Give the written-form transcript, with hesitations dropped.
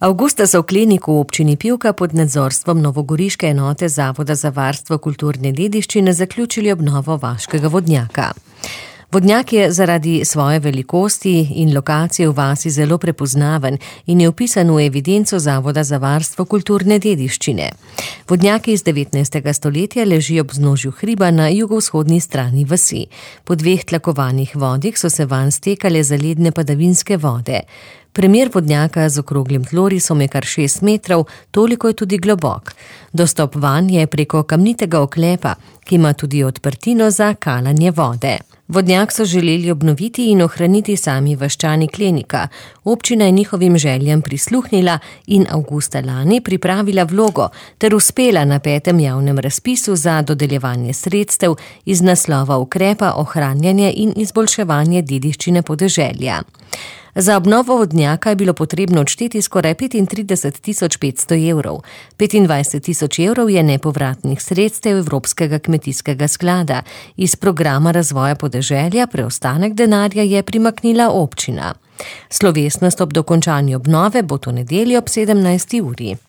Avgusta so v kliniku v občini Pivka pod nadzorstvom novogoriške enote Zavoda za varstvo kulturne dediščine zaključili obnovo vaškega vodnjaka. Vodnjak je zaradi svoje velikosti in lokacije v vasi zelo prepoznaven in je vpisan v evidenco Zavoda za varstvo kulturne dediščine. Vodnjak iz 19. stoletja leži ob vznožju hriba na jugovzhodni strani vasi. Po 2 tlakovanih vodih so se vanj stekale zaledne padavinske vode. Premer vodnjaka z okroglim tlorisom je kar 6 metrov, toliko je tudi globok. Dostop vanj je preko kamnitega oklepa, ki ima tudi odprtino za kalanje vode. Vodnjak so želeli obnoviti in ohraniti sami vaščani Klenika. Občina je njihovim željam prisluhnila in avgusta lani pripravila vlogo ter uspela na 5. javnem razpisu za dodeljevanje sredstev iz naslova ukrepa ohranjanje in izboljševanje dediščine podeželja. Za obnovo vodnjaka je bilo potrebno odšteti skoraj 35.500 evrov. 25.000 evrov je nepovratnih sredstev Evropskega kmetijskega sklada. Iz programa razvoja podeželja preostanek denarja je primaknila občina. Slovesnost ob dokončanju obnove bo to nedeljo ob 17. uri.